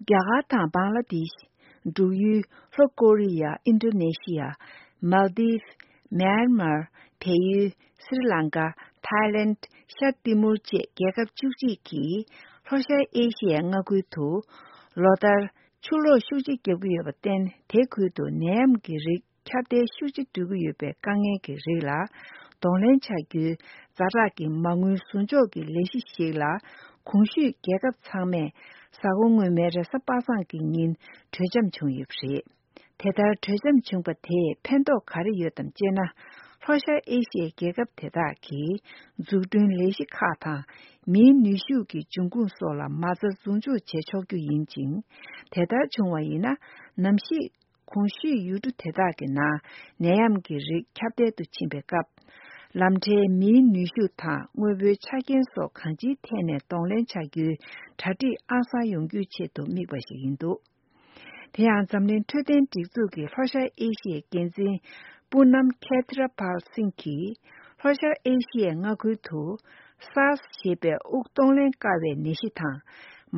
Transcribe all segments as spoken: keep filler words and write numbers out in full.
རྒྱ་གར་དང་བང་ལ་དེཤ། འབྲུག་ཡུལ། ལྷོ་ཀོ་རི་ཡ། ཨིན་ཌོ་ནེ་ཤི་ཡ། མལ་དིབ། མེན་མར། བལ་ཡུལ། སྲི་ལང་ཀ། ཐའི་ལེནྜ། ཤར་ཏི་མུར་བཅས་རྒྱལ་ཁབ་བཅུ་གཅིག་གིས་ལྷོ་ཤར་ཨེ་ཤི་ཡའི་མངའ་ཁུལ་དུ་ལོ་ལྟར་ཆུ་ལོག་ཤུགས་ཆེ་བརྒྱབ་ཀྱི་ཡོད་པར་བརྟེན། དེ་ཁུལ་དུ་ནད་ཡམས་ཀྱི་རིགས་ཁྱབ་གདལ་ཤུགས་ཆེ་འགྲོ་གི་ཡོད་པའི་དཀའ་ངལ་གྱི་རིགས་ལ་གདོང་ལེན་བྱ་རྒྱུའི་ཛ་དྲག་གི་མ་དངུལ་ཟུར་འཇོག་གི་ལས་གཞི་ཞིག་ལ། གོང་ཞུས་རྒྱལ་ཁབ་ཚང་མས་གཟའ་འཁོར་སྔོན་མའི་རེས་གཟའ་པ་སངས་ཀྱི་ཉིན་གྲོས་འཆམ་བྱུང་ཡོད་པ་རེད། དེ་ལྟར་གྲོས་འཆམ་བྱུང་པ་དེས་ཕན་ཐོགས་ག་རེ་ཡོད་དམ་ཅེ་ན། ལྷོ་ཤར་ཨེ་ཤི་ཡའི་རྒྱལ་ཁབ་དེ་དག་གིས་འཛུགས་སྐྲུན་ལས་གཞི་ཁག་དང་མིའི་ནུས་ཤུགས་ཀྱི་འབྱུང་ཁུངས་སོགས་ལ་མ་རྩ་ཟུར་འཇོག་བྱེད་ཆོག་རྒྱུ་ཡིན་ཅིང་། དེ་ལྟར་བྱུང་བ་ཡིན་ན། ནམ་ཞིག་གོང་ཞུས་ཡུལ་གྲུ་དེ་དག་གི་ནང་ནད་ཡམས་ཀྱི་རིགས་ཁྱབ་གདལ་དུ་ཕྱིན་པའི་སྐབས། ལམ་འཕྲལ་མིའི་ནུས་ཤུགས་དང་དངོས་པོའི་ཆ་རྐྱེན་སོགས་གང་ཅིའི་ཐད་ནས་གདོང་ལེན་བྱ་རྒྱུའི་གྲ་སྒྲིག་ཨང་གསར་ཡོང་རྒྱུའི་ཆེད་དུ་དམིགས་པ་ཞིག་ཡིན་འདུག། དེ་ཡང་འཛམ་གླིང་འཕྲོད་བསྟེན་སྒྲིག་འཛུགས་ཀྱི་ལྷོ་ཤར་ཨེ་ཤི་ཡའི་འགན་འཛིན་པུ་ནམ་ཁེ་ཐི་ར་པཱལ་སིང་གིས། ལྷོ་ཤར་ཨེ་ཤི་ཡའི་མངའ་ཁུལ་དུ་སཱར་སི་ཞེས་པའི་དབུགས་གཏོང་ལེན་དཀའ་བའི་ནད་གཞི་དང་།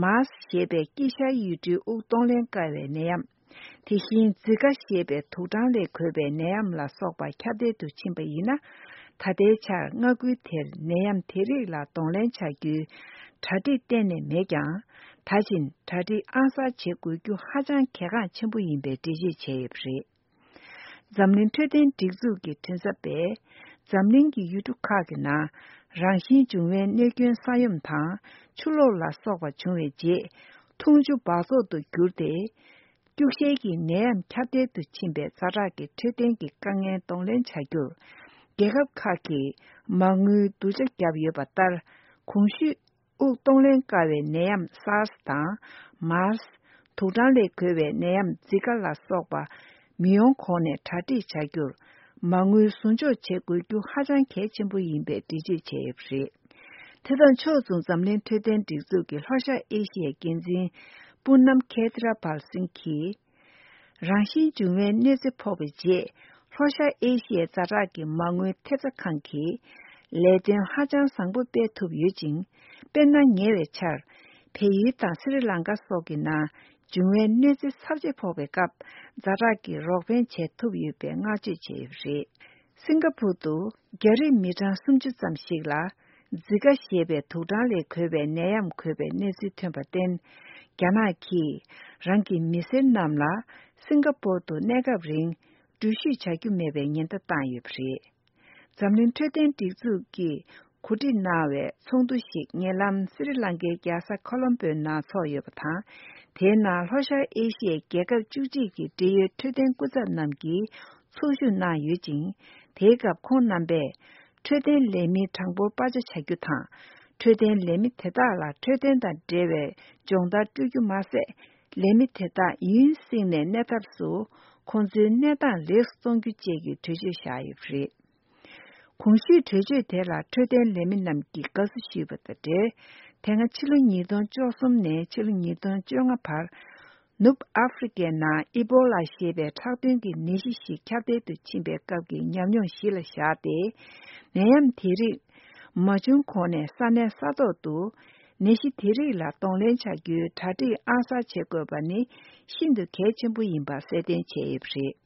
མཱར་སི་ཞེས་པའི་དཀྱིལ་ཤར་ཡུལ་གྲུའི་དབུགས་གཏོང་ལེན་དཀའ་བའི་ནད་ཡམས། དེ་བཞིན་ཛི་ཀ་ཞེས་པའི་དུག་སྦྲང་ལས་འགོས་པའི་ནད་ཡམས་ལ་སོགས་པ་ཁྱབ་གདལ་དུ་ཕྱིན་པ་ཡིན་ན། ད་ལྟའི་ཆར་མངའ་ཁུལ་དེར་ནད་ཡམས་དེ་རིགས་ལ་གདོང་ལེན་བྱ་རྒྱུའི་གྲ་སྒྲིག་གཏན་ནས་མེད་ཀྱང་། ད་བཞིན་གྲ་སྒྲིག་ཨང་གསར་བྱེད་དགོས་རྒྱུ་ཧ་ཅང་གལ་འགངས་ཆེན་པོ་ཡིན་པའི་འགྲེལ་བརྗོད་བྱས་ཡོད་པ་རེད། འཛམ་གླིང་འཕྲོད་བསྟེན་སྒྲིག་འཛུགས་ཀྱི་མགྲིན་ཚབ་པས། འཛམ་གླིང་གི་ཡུལ་གྲུ་ཁག་གི་ནང་རང་བཞིན་འབྱུང་བའི་གནོད་སྐྱོན་ས་ཡོམ་དང་ཆུ་ལོག་ལ་སོགས་པ་བྱུང་བའི་རྗེས། འཐུང་ཆུ་འབག་བཙོག་ཏུ་གྱུར་ཏེ། སྐྱུག་བཤེར་གྱི་ནད་ཡམས་ཁྱབ་གདལ་དུ་ཕྱིན་པའི་ཛ་དྲག་གི་འཕྲོད་བསྟེན་གྱི་དཀའ་ངལ་གདོང་ལེན་བྱ་རྒྱུར། རྒྱལ་ཁབ་ཁག་གིས་མ་དངུལ་བསྡུ་ཆ་བརྒྱབ་ཡོད་པ་ལྟར། གོང་ཞུས། དབུགས་གཏོང་ལེན་དཀའ་བའི་ནད་ཡམས་སཱར་སི་དང་མཱར་སི། དུག་སྦྲང་ལས་འགོས་པའི་ནད་ཡམས་ཛི་ཀ་ལ་སོགས་པ་མི་ཡོང་གོང་ནས་གྲ་སྒྲིག་བྱ་རྒྱུར། མ་དངུལ་ཟུར་འཇོག་བྱེད་དགོས་རྒྱུ་ཧ་ཅང་གལ་ཆེན་པོ་ཡིན་པའི་འགྲེལ་བརྗོད་བྱས་ཡོད་པ་རེད། དེ་དང་ཕྱོགས་མཚུངས། འཛམ་གླིང་འཕྲོད་བསྟེན་སྒྲིག་འཛུགས་ཀྱི་ལྷོ་ཤར་ཨེ་ཤི་ཡའི་འགན་འཛིན་པུ་ནམ་ཁེ་ཐི་ར་པཱལ་སིང་གིས། རང་བཞིན་འབྱུང་བའི་གནོད་འཚེ་ཕོག་པའི་རྗེས། ལྷོ་ཤར་ཨེ་ཤི་ཡའི་ཛ་དྲག་གི་མ་དངུལ་ཐེབས་རྩ་ཁང་གིས་ལས་དོན་ཧ་ཅང་བཟང་པོ་སྤེལ་ཐུབ་ཡོད་ཅིང་། དཔེར་ན། ཉེ་བའི་ཆར་བལ་ཡུལ་དང་སི་རི་ལང་ཀ་སོགས་ཀྱི་ནང་འབྱུང་བའི་གནོད་འཚེ་ཚབས་ཆེ་ཕོག་པའི་སྐབས། ཛ་དྲག་གི་རོགས་ཕན་བྱེད་ཐུབ་ཡོད་པའི་བསྔགས་བརྗོད་བྱས་ཡོད་པ་རེད། སིང་ག་པུར་དུ་རྒྱ་རིགས་མི་གྲངས་སུམ་ཅུ་ཙམ་ཞིག་ལ་ཛི་ཀ་ཞེས་པའི་དུག་སྦྲང་ལས་འགོས་པའི་ནད་ཡམས་འགོས་པའི་གནས་ཚུལ་ཐོན་པར་བརྟེན། རྒྱ་ནག་གིས་རང་གི་མི་སེར་རྣམས་ལ་སིང་ག་པུར་དུ་གནས་སྐབས་རིང་འགྲུལ་བཞུད་བྱ་རྒྱུ་མེད་པའི་ཉེན་བརྡ་བཏང་ཡོད་པ་རེད། འཛམ་གླིང་འཕྲོད་བསྟེན་སྒྲིག་འཛུགས་ཀྱིས་གོ་སྒྲིག་གནང་བའི་ཚོགས་འདུ་ཞིག་ཉེ་ལམ་སི་རི་ལང་ཀའི་རྒྱལ་ས་ཁོ་ལོམ་པོའི་ནང་ཚོགས་ཡོད་པ་དང་། དེའི་ནང་ལྷོ་ཤར་ཨེ་ཤི་ཡའི་རྒྱལ་ཁབ་བཅུ་གཅིག་གི་འབྲེལ་ཡོད་འཕྲོད་བསྟེན་སྐུ་ཚབ་རྣམས་ཀྱིས་ཚོགས་ཞུགས་གནང་ཡོད་ཅིང་། དེའི་སྐབས་ཁོང་རྣམ་པས་འཕྲོད་བསྟེན་ལས་མིའི་གྲངས་འབོར་སྤར་ཆ་བྱ་རྒྱུ་དང་། འཕྲོད་བསྟེན་ལས་མི་དེ་དག་ལ་འཕྲོད་བསྟེན་དང་འབྲེལ་བའི་སྦྱོང་བརྡར་སྤྲོད་རྒྱུ་མ་ཟད། ལས་མི་དེ་དག་ཡུན་བསྲིངས་ནས་གནས་ཐབས་སུ་ཁོང་ཚོའི་གནས་སྟངས་ལེགས་སུ་གཏོང་རྒྱུ་བཅས་ཀྱི་གྲོས་ཆོད་བཞག་ཡོད་པ་རེད། གོང་ཞུས་གྲོས་ཆོད་དེ་ལ་འཕྲོད་བསྟེན་ལས་མི་རྣམས་ཀྱིས་དགའ་བསུ་ཞུས་པ་དང་འབྲེལ། དེ་སྔ་ཕྱི་ལོ་ཉིས་སྟོང་བཅུ་གསུམ་ནས་ཕྱི་ལོ་ཉིས་སྟོང་བཅོ་ལྔ་བར། ནུབ་ཨ་ཧྥེ་རི་ཀའི་ནང་ཨི་པོ་ལ་ཞེས་པའི་ཁྲག་དོན་གྱི་ནད་གཞི་ཞིག་ཁྱབ་གདལ་དུ་ཕྱིན་པའི་སྐབས་ཀྱི་ཉམས་མྱོང་གཞི་ལ་བཞག་སྟེ། ནད་ཡམས་དེ་རིགས་མ་བྱུང་གོང་ནས་ས་གནས་ས་ཐོག་ཏུ་ནད་གཞི་དེ་རིགས་ལ་གདོང་ལེན་བྱ་རྒྱུའི་གྲ་སྒྲིག་ཨང་གསར་བྱེད་དགོས་པ་ནི་ཤིན་ཏུ་གལ་ཆེན་པོ་ཡིན་པ་གསལ་སྟོན་བྱས་ཡོད་པ་རེད།